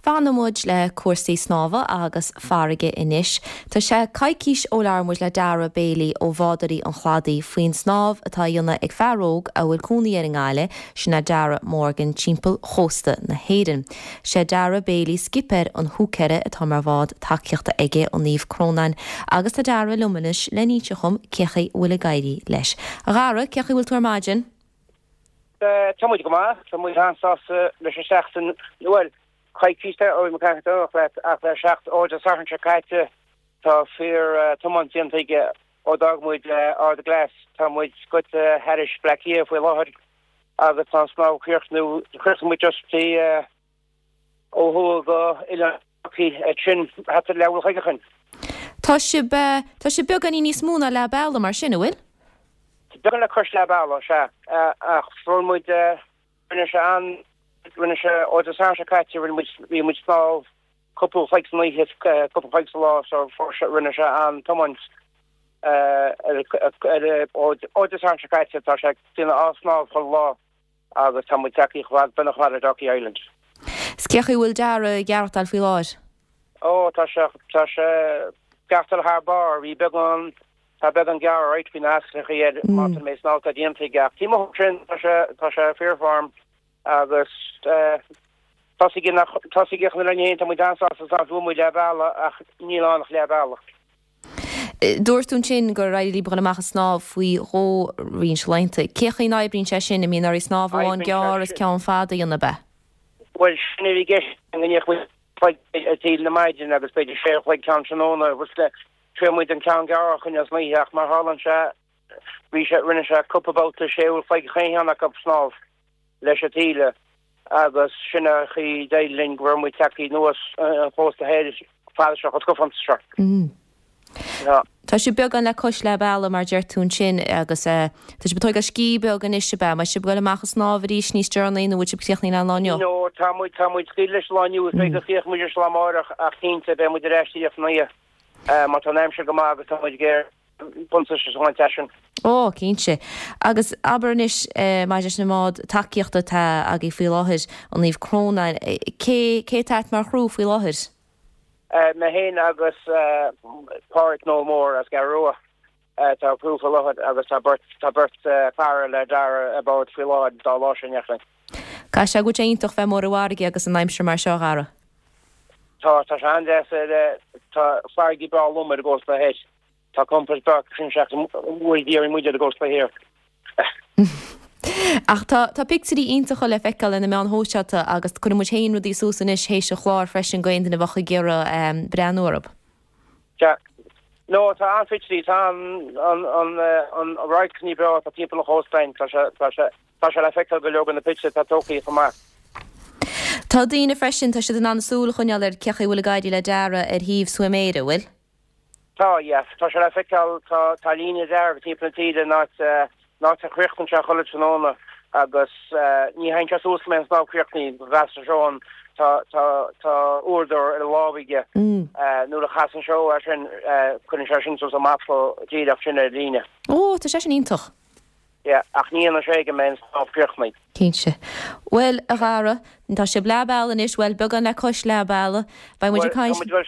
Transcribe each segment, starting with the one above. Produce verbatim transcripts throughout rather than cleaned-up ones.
Fanfaidh muid le cúrsaí snámha agus farraige anois. Tá sé coicís ó labhair muid le Dara Bailey ó Bhádóirí an Chladaigh faoin snámh atá á dhéanamh ag fear óg a bhfuil cónaí air i nGaillimh, sin é Dara Morgan timpeall chósta na hÉireann. Sé Dara Bailey skipper an Húicéara atá mar bhád tacaíochta aige an Naomh Crónán agus tá Dara liom anois le n-inse dhom cén chaoi a bhfuil ag éirí leis. A Dhara, cén chaoi a bhfuil tú ar maidin? Tá muid go maith, tá muid an-sásta leis an seachtain bhuel coicís ó mo leat ach le seacht ó Dé Sathairn seo caite tá fíor tiomáint déanta aige ó d'fhág muid Ard Glas tá muid goite thairis Bleá Cliath faoi láthair agus tá snámh críochnú chríochnaigh muid just í ó thuaidh go Oileán sin hat le chuigechan. Tá sibh tá sibh beagáinín níos mó ná leath bealaigh mar sin an bhfuil? Beagán le cois leath bealaigh sea ach fuair muid rinne sé an rinne sé ó Dé Sathairn seo caite rinne muid bhí muid snámh cúpla uair san oíche cúpla uair sa lá so fuair sé rinne sé an tiomáint ó Dé Sathairn seo caite tá sé déanamh á snámh chuile lá agus tá muid tagtha chomh fada beagnach chomh fada le Dalkey Island. 'S cén chaoi a bhfuil Dara ag aireachtáil faoi láthair? Ó tá sé tá sé ag aireachtáil thar barr bhí beagán tá beagán gearr right faoi na ascaill air má tá mé snámh tá déanta aige ach taobh amuigh sin tá sé tá sé fíorfhorm agus tá tá na le tá muid an-sásta bhfuil muid leath bealaigh ach níl ann ach leath bealaigh. Dúirt tú ansin gur éirigh libh dul amach ag snámh faoi dhó roinnt laethanta. Cén chaoi a n-oibríonn sé sin, an mbíonn oraibh snámh amháin gearr is ceann fada a dhéanamh ab ea? Bhuel sin a bhí i gceist go ndéanfadh muid cloig ar taobh na maidine agus b'fhéidir sé chloig ceann tráthnóna agus thriail muid an ceann gearr a choinneáil san oíche ach mar tharlaíonn sé bhí sé rinne sé cúpla babhta sé uair chloig chaon cheann acu snámh leis an taoille agus sin an chaoi d'éirigh linn go raibh muid tagtha anuas an chósta thoir fada seo chomh scafánta seo. Mm. Tá sibh beagán le cois leath bealaigh mar deir tú ansin agus tá sibh ag tógáil scíth beag anois ab ea? An mbeidh sibh ag dul amach ag snámh arís níos deireanaí nó bhfuil sibh críochnaithe le an lá inniu? No, tá muid tá muid scaoilte leis an lá inniu, is b'fhéidir go gcríochnóidh muid leis an lá amárach ach cinnte beidh muid ar ais díreach san oíche má tá an aimsir go maith agus tá muid ag iarraidh buntáiste a bhaint as sin. Ó, cinnte. Agus abair anois maidir leis an mbád tacaíochta atá agaibh faoi láthair, an Naomh Crónán, cé cé atá mar chriú faoi láthair? Mé féin agus Pádraig Noel Mór as an gCeathrú Rua atá criú faoi láthair agus tá beirt tá beirt cara le Dara ar bord faoi láthair dá lá sin ach. Caithfidh sé go bhfuil sé iontach bheith amuigh ar an bhfarraige agus an aimsir mar seo, a Dhara. Tá, tá sé an-deas ar tá farraige breá lom ar an gcósta thoir. Tá compord breá sin seachas bhfuil d'iarraidh muid ar an gcósta thiar. Ach tá tá pictiúirí iontacha le feiceáil ar na meáin shóisialta agus cuirfidh muid féin rudaí suas anois théis an chláir freisin go aon duine a bheadh ag iarraidh breathnú orthu. Sea. No, tá an-phictiúirí, tá an an an an radharcanna breá atá timpeall an chóstáin, tá sé tá sé tá sé le feiceáil go leor de na pictiúirí atá tógtha chomh maith. Tá daoine freisin, tá siad in ann súil a choinneáil ar cén chaoi a bhfuil ag éirí le Dara ar shuíomh Swim Éire, bhfuil? Tá, yes. Tá sé le feiceáil, tá, tá líne dearg timpeall na taoide in áit, in áit a chríochnaíonn sé chuile tráthnóna agus ní théann sé suas go mbeidh an snámh críochnaithe, go gcasann sé an, tá, tá, tá uaireadóir ar a lámh aige, nuair a chasann sé é sin, cuireann sé sin suas an mapa díreach sin ar líne. Ó, tá sé sin iontach. Yeah, ach ní dhéanann sé go mbeidh an snámh críochnaithe. Cinnte. Bhuel, a Dhara, tá sibh leath bealaigh anois, bhuel, beagán le cois leath bealaigh. Beidh muid ag caint. Bhuel, tá muid, bhuel,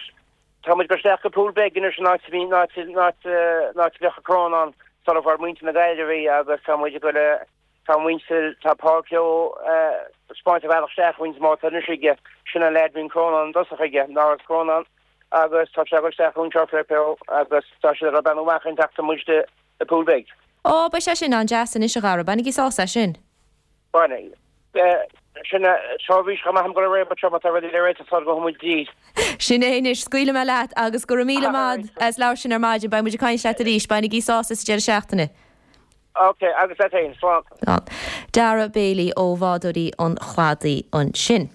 Tá muid ag dul isteach go Poolbeg anois an áit a bhí, an áit, an áit, an áit a bheadh an Crónán sula bhfuair muintir na Gaillimhe í agus tá muid ag dul a, tá muintir, tá Paul Keogh ag 'spáint an bhealach isteach roinnt mótar anois aige, sin an leaid a bhí an Crónán i dtosach aige, an Áras Crónán agus tá sé ag dul isteach anseo le Keogh agus tá siad ag beannú amach an tseachtain muid i Poolbeg. Ó, beidh sé sin an-deas anois a Dhara, bainigí sásamh as sin. Bainigí. Sin é, seirbhís chomh maith agam go raibh réabadh trom atá rudaí le réiteach sula gabhfaidh muid dí. Sin é anois, scaoilfidh mé leat agus go raibh míle maith as labhairt linn ar maidin, beidh muid ag caint leat arís, bainigí sásamh sa deireadh seachtaine. Ok, agus leat féin, slán. Slán. Dara Bailey ó Bhádóirí an Chladaigh ansin.